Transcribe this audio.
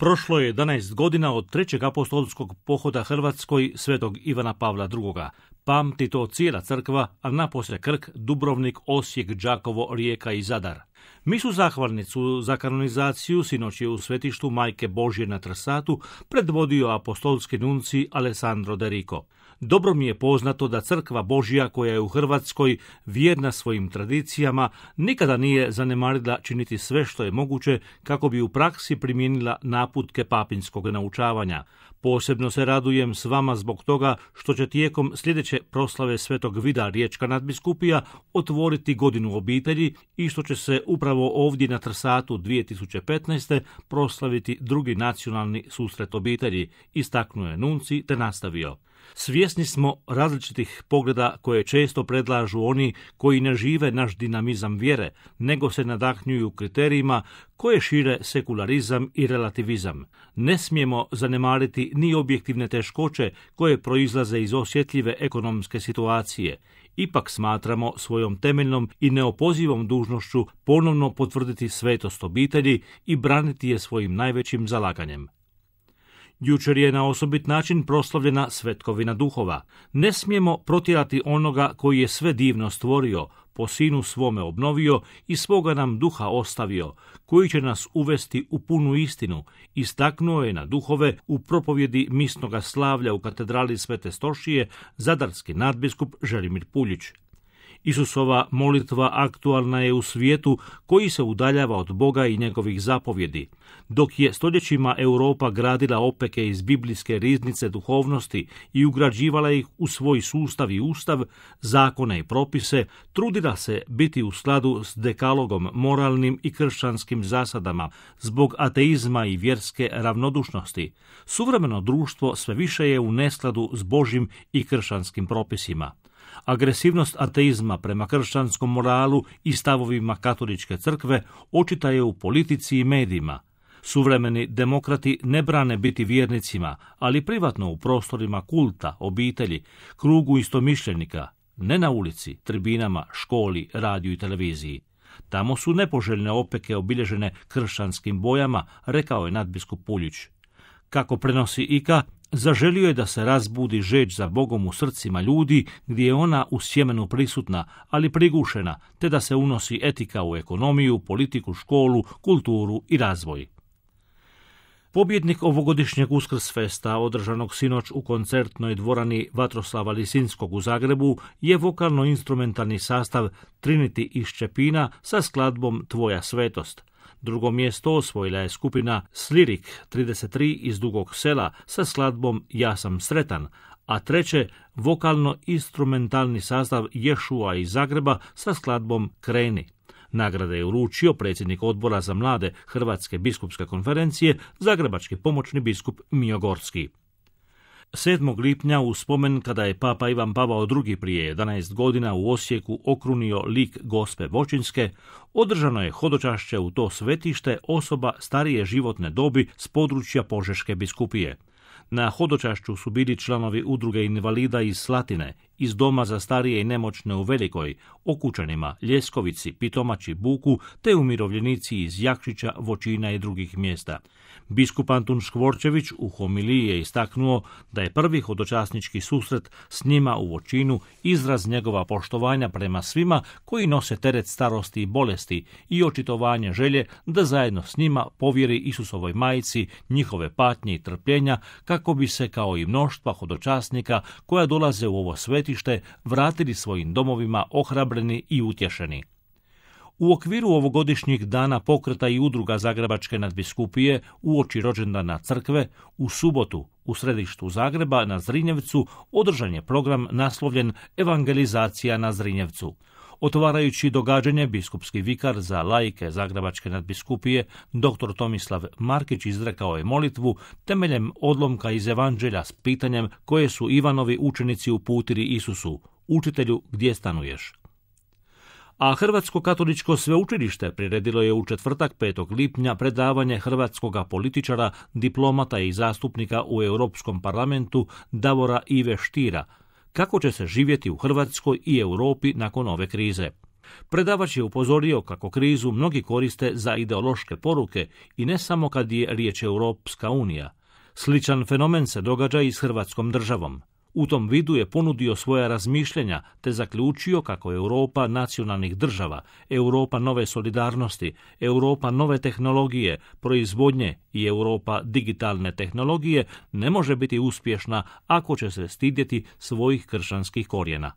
Prošlo je 11 godina od trećeg apostolskog pohoda Hrvatskoj svetog Ivana Pavla II. Pamti to cijela crkva, a naposlije Krk, Dubrovnik, Osijek, Đakovo, Rijeka i Zadar. Misu zahvalnicu za kanonizaciju sinoć je u svetištu Majke Božje na Trsatu predvodio apostolski nunci Alessandro De Rico. Dobro mi je poznato da crkva Božja koja je u Hrvatskoj vjerna svojim tradicijama nikada nije zanemarila činiti sve što je moguće kako bi u praksi primijenila naputke papinskog naučavanja. Posebno se radujem s vama zbog toga što će tijekom sljedeće proslave Svetog Vida Riječka nadbiskupija otvoriti godinu obitelji i što će se upravo ovdje na Trsatu 2015. proslaviti drugi nacionalni susret obitelji, istaknuo je nunci te nastavio. Svjesni smo različitih pogleda koje često predlažu oni koji ne žive naš dinamizam vjere, nego se nadahnjuju kriterijima koje šire sekularizam i relativizam. Ne smijemo zanemariti ni objektivne teškoće koje proizlaze iz osjetljive ekonomske situacije. Ipak smatramo svojom temeljnom i neopozivom dužnošću ponovno potvrditi svetost obitelji i braniti je svojim najvećim zalaganjem. Jučer je na osobit način proslavljena Svetkovina duhova. Ne smijemo protjerati onoga koji je sve divno stvorio, po sinu svome obnovio i svoga nam duha ostavio, koji će nas uvesti u punu istinu, istaknuo je na duhove u propovjedi misnoga slavlja u katedrali Svete Stošije zadarski nadbiskup Želimir Puljić. Isusova molitva aktualna je u svijetu koji se udaljava od Boga i njegovih zapovjedi. Dok je stoljećima Europa gradila opeke iz biblijske riznice duhovnosti i ugrađivala ih u svoj sustav i ustav, zakone i propise, trudila se biti u skladu s dekalogom moralnim i kršćanskim zasadama zbog ateizma i vjerske ravnodušnosti. Suvremeno društvo sve više je u neskladu s Božjim i kršćanskim propisima. Agresivnost ateizma prema kršćanskom moralu i stavovima katoličke crkve očita je u politici i medijima. Suvremeni demokrati ne brane biti vjernicima, ali privatno u prostorima kulta, obitelji, krugu istomišljenika, ne na ulici, tribinama, školi, radiju i televiziji. Tamo su nepoželjne opeke obilježene kršćanskim bojama, rekao je nadbiskup Puljić. Kako prenosi Ika, zaželio je da se razbudi žeđ za Bogom u srcima ljudi gdje je ona u sjemenu prisutna, ali prigušena, te da se unosi etika u ekonomiju, politiku, školu, kulturu i razvoj. Pobjednik ovogodišnjeg Uskrsfesta, održanog sinoć u koncertnoj dvorani Vatroslava Lisinskog u Zagrebu, je vokalno-instrumentalni sastav Trinity iz Čepina sa skladbom Tvoja svetost. Drugo mjesto osvojila je skupina Slirik 33 iz Dugog Sela sa skladbom Ja sam sretan, a treće vokalno-instrumentalni sastav Ješua iz Zagreba sa skladbom Kreni. Nagrade je uručio predsjednik odbora za mlade Hrvatske biskupske konferencije, zagrebački pomoćni biskup Mijo Gorski. 7. lipnja u spomen kada je Papa Ivan Pavao II prije 11 godina u Osijeku okrunio lik Gospe Voćinske, održano je hodočašće u to svetište osoba starije životne dobi s područja Požeške biskupije. Na hodočašću su bili članovi udruge invalida iz Slatine, iz Doma za starije i nemoćne u Velikoj, Okučanima, Ljeskovici, Pitomači, Buku, te umirovljenici iz Jakšića, Voćina i drugih mjesta. Biskup Antun Škvorčević u homiliji je istaknuo da je prvi hodočasnički susret s njima u Voćinu izraz njegova poštovanja prema svima koji nose teret starosti i bolesti i očitovanje želje da zajedno s njima povjeri Isusovoj majici njihove patnje i trpljenja kako bi se kao i mnoštva hodočasnika koja dolaze u ovo svetište vratili svojim domovima ohrabreni i utješeni. U okviru ovogodišnjih dana pokreta i udruga Zagrebačke nadbiskupije uoči rođendana crkve, u subotu u središtu Zagreba na Zrinjevcu održan je program naslovljen Evangelizacija na Zrinjevcu. Otvarajući događanje, biskupski vikar za laike Zagrebačke nadbiskupije, dr. Tomislav Markić, izrekao je molitvu temeljem odlomka iz Evanđelja s pitanjem koje su Ivanovi učenici uputili Isusu: Učitelju, gdje stanuješ? A Hrvatsko katoličko sveučilište priredilo je u četvrtak 5. lipnja predavanje hrvatskoga političara, diplomata i zastupnika u Europskom parlamentu Davora Ive Štira, kako će se živjeti u Hrvatskoj i Europi nakon ove krize. Predavač je upozorio kako krizu mnogi koriste za ideološke poruke i ne samo kad je riječ Europska unija. Sličan fenomen se događa i s Hrvatskom državom. U tom vidu je ponudio svoja razmišljenja te zaključio kako Europa nacionalnih država, Europa nove solidarnosti, Europa nove tehnologije, proizvodnje i Europa digitalne tehnologije ne može biti uspješna ako će se stidjeti svojih kršćanskih korijena.